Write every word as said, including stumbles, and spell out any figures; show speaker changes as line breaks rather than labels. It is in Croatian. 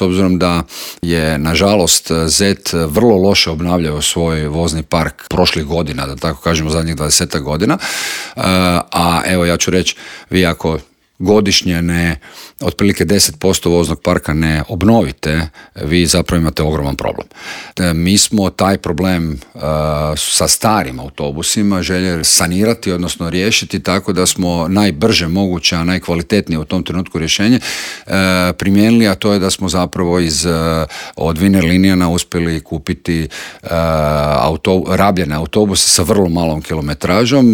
s obzirom da je nažalost Z E T vrlo loše obnavljao svoj vozni park prošlih godina, da tako kažemo zadnjih dvadesetak godina, a evo ja ću reći, vi ako godišnje ne, otprilike deset posto voznog parka ne obnovite, vi zapravo imate ogroman problem. Mi smo taj problem uh, sa starim autobusima željeli sanirati, odnosno riješiti tako da smo najbrže moguće, a najkvalitetnije u tom trenutku rješenje uh, primijenili, a to je da smo zapravo iz, uh, od Wiener Linijana uspjeli kupiti uh, auto, rabljene autobuse sa vrlo malom kilometražom,